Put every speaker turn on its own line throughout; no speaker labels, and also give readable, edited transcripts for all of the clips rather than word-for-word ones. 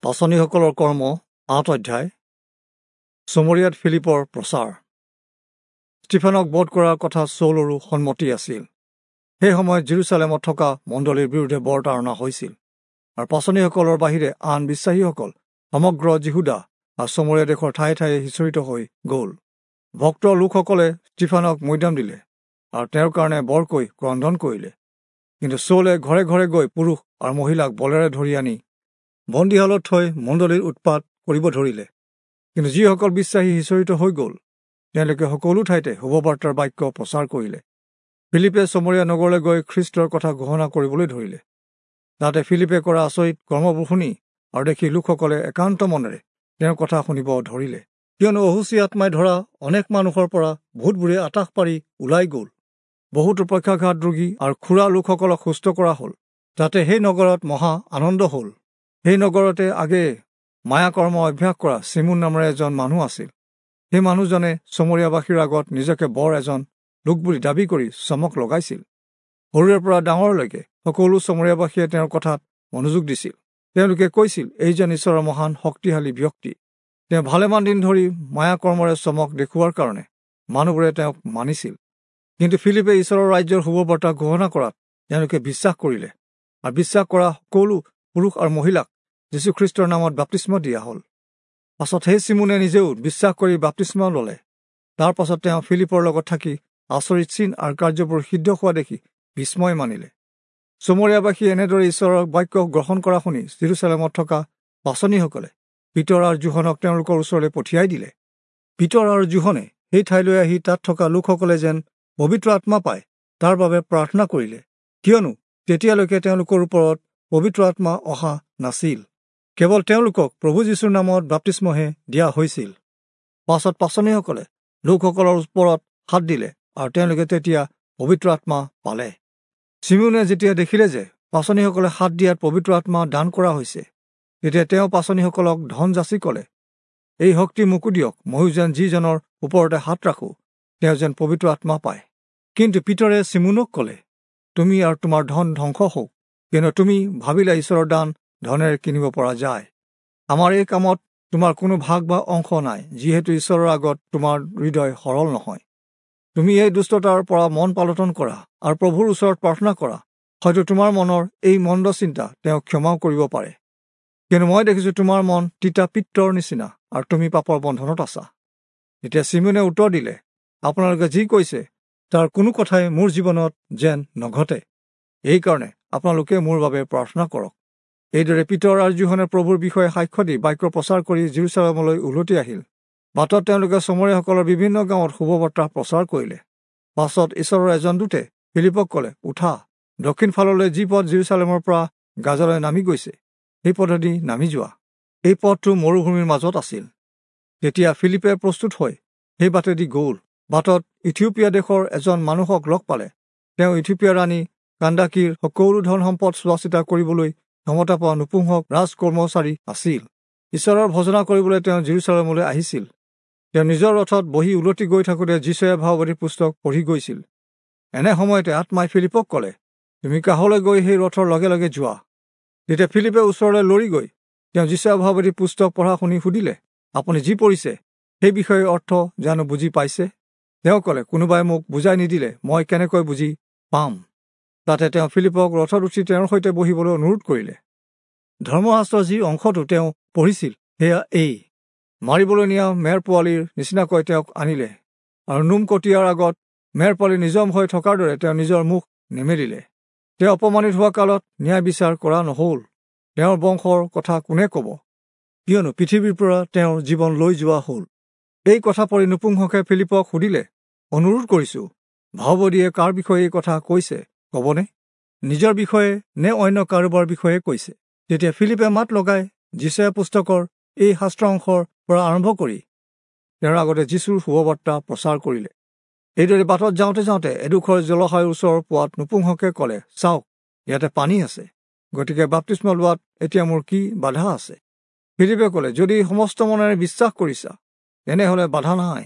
পাঁচনিসকলৰ কৰ্ম ৮ অধ্যায়। চমৰীয়াত ফিলিপৰ প্ৰচাৰ। ষ্টিফেনক বধ কৰাৰ কথা চৌলৰো সন্মতি আছিল। সেই সময়ত জেৰুচালেমত থকা মণ্ডলীৰ বিৰুদ্ধে বৰ তাৰণা হৈছিল, আৰু পাঁচনিসকলৰ বাহিৰে আন বিশ্বাসীসকল সমগ্ৰ যিহুদা আৰু চমৰীয়া দেশৰ ঠায়ে ঠায়ে সিঁচৰিত হৈ গ'ল। ভক্ত লোকসকলে ষ্টিফেনক মৈদাম দিলে আৰু তেওঁৰ কাৰণে বৰকৈ ক্ৰন্দন কৰিলে। কিন্তু চৌলে ঘৰে ঘৰে গৈ পুৰুষ আৰু মহিলাক বলেৰে ধৰি আনি বন্দীশালত থৈ মণ্ডলীৰ উৎপাত কৰিব ধৰিলে। কিন্তু যিসকল বিশ্বাসী সিঁচৰিত হৈ গ'ল, তেওঁলোকে সকলো ঠাইতে শুভবাৰ্তাৰ বাক্য প্ৰচাৰ কৰিলে। ফিলিপে চমৰীয়া নগৰলৈ গৈ খ্ৰীষ্টৰ কথা ঘোষণা কৰিবলৈ ধৰিলে। তাতে ফিলিপে কৰা আচৰিত কৰ্মবোৰ শুনি আৰু দেখি লোকসকলে একান্ত মনেৰে তেওঁৰ কথা শুনিব ধৰিলে। কিয়নো অশুচি আত্মাই ধৰা অনেক মানুহৰ পৰা ভূতবোৰে আটাস পাৰি ওলাই গ'ল। বহুতো পক্ষাঘাত ৰোগী আৰু খুৰা লোকসকলক সুস্থ কৰা হ'ল। তাতে সেই নগৰত মহা আনন্দ হ'ল। সেই নগৰতে আগেয়ে মায়াকৰ্ম অভ্যাস কৰা চিমোন নামেৰে এজন মানুহ আছিল। সেই মানুহজনে চমৰীয়াবাসীৰ আগত নিজকে বৰ এজন লোক বুলি দাবী কৰি চমক লগাইছিল। সৰুৰে পৰা ডাঙৰলৈকে সকলো চমৰীয়াবাসীয়ে তেওঁৰ কথাত মনোযোগ দিছিল। তেওঁলোকে কৈছিল, এইজন ঈশ্বৰৰ মহান শক্তিশালী ব্যক্তি। তেওঁ ভালেমান দিন ধৰি মায়াকৰ্মৰে চমক দেখুওৱাৰ কাৰণে মানুহবোৰে তেওঁক মানিছিল। কিন্তু ফিলিপে ঈশ্বৰৰ ৰাজ্যৰ শুভবাৰ্তা ঘোষণা কৰাত তেওঁলোকে বিশ্বাস কৰিলে, আৰু বিশ্বাস কৰা সকলো পুৰুষ আৰু মহিলাক যীশুখ্ৰীষ্টৰ নামত বাপ্তিস্ম দিয়া হ'ল। পাছত সেই চিমোনে নিজেও বিশ্বাস কৰি বাপ্তিস্ম ল'লে। তাৰ পাছত তেওঁ ফিলিপৰ লগত থাকি আচৰিত চিন আৰু কাৰ্যবোৰ সিদ্ধ হোৱা দেখি বিস্ময় মানিলে। চমৰীয়াবাসীয়ে এনেদৰে ঈশ্বৰৰ বাক্য গ্ৰহণ কৰা শুনি জেৰুচালেমত থকা পাঁচনিসকলে পিতৰ আৰু যোহনক তেওঁলোকৰ ওচৰলৈ পঠিয়াই দিলে। পিতৰ আৰু যোহনে সেই ঠাইলৈ আহি তাত থকা লোকসকলে যেন পবিত্ৰ আত্মা পায় তাৰ বাবে প্ৰাৰ্থনা কৰিলে, কিয়নো তেতিয়ালৈকে তেওঁলোকৰ ওপৰত পবিত্ৰ আত্মা অহা নাছিল। কেৱল তেওঁলোকক প্ৰভু যীশুৰ নামত বাপ্তিস্মহে দিয়া হৈছিল। পাছত পাঁচনিসকলে লোকসকলৰ ওপৰত হাত দিলে আৰু তেওঁলোকে তেতিয়া পবিত্ৰ আত্মা পালে। চিমোনে যেতিয়া দেখিলে যে পাঁচনিসকলে হাত দিয়াত পবিত্ৰ আত্মা দান কৰা হৈছে, তেতিয়া তেওঁ পাঁচনিসকলক ধন যাচি ক'লে, এই শক্তি মোকো দিয়ক, ময়ো যেন যিজনৰ ওপৰতে হাত ৰাখোঁ তেওঁ যেন পবিত্ৰ আত্মা পায়। কিন্তু পিতৰে চিমোনক ক'লে, তুমি আৰু তোমাৰ ধন ধ্বংস হওক, কিয়নো তুমি ভাবিলা ঈশ্বৰৰ দান ধনেৰে কিনিব পৰা যায়। আমাৰ এই কামত তোমাৰ কোনো ভাগ বা অংশ নাই, যিহেতু ঈশ্বৰৰ আগত তোমাৰ হৃদয় সৰল নহয়। তুমি এই দুষ্টতাৰ পৰা মন পালটন কৰা আৰু প্ৰভুৰ ওচৰত প্ৰাৰ্থনা কৰা, হয়তো তোমাৰ মনৰ এই মন্দ চিন্তা তেওঁ ক্ষমাও কৰিব পাৰে। কিন্তু মই দেখিছোঁ তোমাৰ মন তিতা পিত্তৰ নিচিনা আৰু তুমি পাপৰ বন্ধনত আছা। তেতিয়া চিমোনে উত্তৰ দিলে, আপোনালোকে যি কৈছে তাৰ কোনো কথাই মোৰ জীৱনত যেন নঘটে, এইকাৰণে আপোনালোকে মোৰ বাবে প্ৰাৰ্থনা কৰক। এইদৰে পিতৰ আৰু যোহনে প্ৰভুৰ বিষয়ে সাক্ষ্য দি বাক্য প্ৰচাৰ কৰি জেৰুচালেমলৈ উলটি আহিল। বাটত তেওঁলোকে চমৰীয়াসকলৰ বিভিন্ন গাঁৱত শুভবাৰ্তা প্ৰচাৰ কৰিলে। পাছত ঈশ্বৰৰ এজন দূতে ফিলিপক ক'লে, উঠা, দক্ষিণ ফাললৈ যি পথ জেৰুচালেমৰ পৰা গাজালৈ নামি গৈছে সেই পথেদি নামি যোৱা। এই পথটো মৰুভূমিৰ মাজত আছিল। তেতিয়া ফিলিপে প্ৰস্তুত হৈ সেই বাটেদি গ'ল। বাটত ইথিওপিয়া দেশৰ এজন মানুহক লগ পালে। তেওঁ ইথিওপিয়া ৰাণী কান্দাকীৰ সকলো ধন সম্পদ চোৱা চিতা কৰিবলৈ ক্ষমতা পোৱা নপুংসক ৰাজকৰ্মচাৰী আছিল। ঈশ্বৰৰ ভজনা কৰিবলৈ তেওঁ জেৰুচালেমলৈ আহিছিল। তেওঁ নিজৰ ৰথত বহি উলটি গৈ থাকোঁতে যিচয়া ভাৱবাদীৰ পুস্তক পঢ়ি গৈছিল। এনে সময়তে আত্মাই ফিলিপক ক'লে, তুমি কাষলৈ গৈ সেই ৰথৰ লগে লগে যোৱা। তেতিয়া ফিলিপে ওচৰলৈ লৰি গৈ তেওঁ যিচয়া ভাৱবাদীৰ পুস্তক পঢ়া শুনি সুধিলে, আপুনি যি পঢ়িছে সেই বিষয়ে অৰ্থ জানো বুজি পাইছে? তেওঁ ক'লে, কোনোবাই মোক বুজাই নিদিলে মই কেনেকৈ বুজি পাম? তাতে তেওঁ ফিলিপক ৰথত উঠি তেওঁৰ সৈতে বহিবলৈ অনুৰোধ কৰিলে। ধৰ্মশাস্ত্ৰৰ যি অংশটো তেওঁ পঢ়িছিল সেয়া এই, মাৰিবলৈ নিয়া মেৰ পোৱালীৰ নিচিনাকৈ তেওঁক আনিলে, আৰু নোম কটিয়াৰ আগত মেৰ পোৱালী নিজম হৈ থকাৰ দৰে তেওঁ নিজৰ মুখ নেমেলিলে। তেওঁ অপমানিত হোৱা কালত ন্যায় বিচাৰ কৰা নহ'ল। তেওঁৰ বংশৰ কথা কোনে ক'ব? কিয়নো পৃথিৱীৰ পৰা তেওঁৰ জীৱন লৈ যোৱা হ'ল। এই কথা পঢ়ি নপুংসকে ফিলিপক সুধিলে, অনুৰোধ কৰিছোঁ, ভাওবদীয়ে কাৰ বিষয়ে এই কথা কৈছে ক'বনে? নিজৰ বিষয়ে নে অন্য কাৰোবাৰ বিষয়ে কৈছে? তেতিয়া ফিলিপে মাত লগাই যিচয়া পুস্তকৰ এই শাস্ত্ৰ অংশৰ পৰা আৰম্ভ কৰি তেওঁৰ আগতে যীশুৰ শুভবাৰ্তা প্ৰচাৰ কৰিলে। এইদৰে বাটত যাওঁতে যাওঁতে এডোখৰ জলাশয়ৰ ওচৰ পোৱাত নপুংসকে ক'লে, চাওক, ইয়াতে পানী আছে, গতিকে বাপ্তিস্ম লোৱাত এতিয়া মোৰ কি বাধা আছে? ফিলিপে ক'লে, যদি সমস্ত মনেৰে বিশ্বাস কৰিছা তেনেহ'লে বাধা নাই।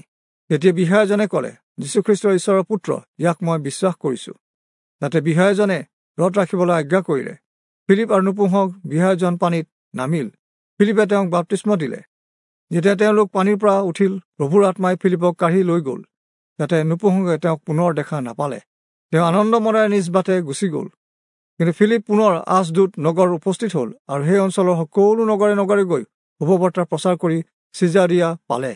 তেতিয়া বিষয়াজনে ক'লে, যীশুখ্ৰীষ্ট ঈশ্বৰৰ পুত্ৰ, ইয়াক মই বিশ্বাস কৰিছোঁ। তাতে বিষয়াজনে ৰথ ৰাখিবলৈ আজ্ঞা কৰিলে। ফিলিপ আৰু নপুংসক বিষয়াজন পানীত নামিল। ফিলিপে তেওঁক বাপ্তিস্ম দিলে। যেতিয়া তেওঁলোক পানীৰ পৰা উঠিল, প্ৰভুৰ আত্মাই ফিলিপক কাঢ়ি লৈ গ'ল, যাতে নপুংসকে তেওঁক পুনৰ দেখা নাপালে। তেওঁ আনন্দ মনেৰে নিজ বাটে গুচি গ'ল। কিন্তু ফিলিপ পুনৰ আছদোদ নগৰত উপস্থিত হ'ল আৰু সেই অঞ্চলৰ সকলো নগৰে নগৰে গৈ শুভবাৰ্তা প্ৰচাৰ কৰি চিজাৰিয়া পালে।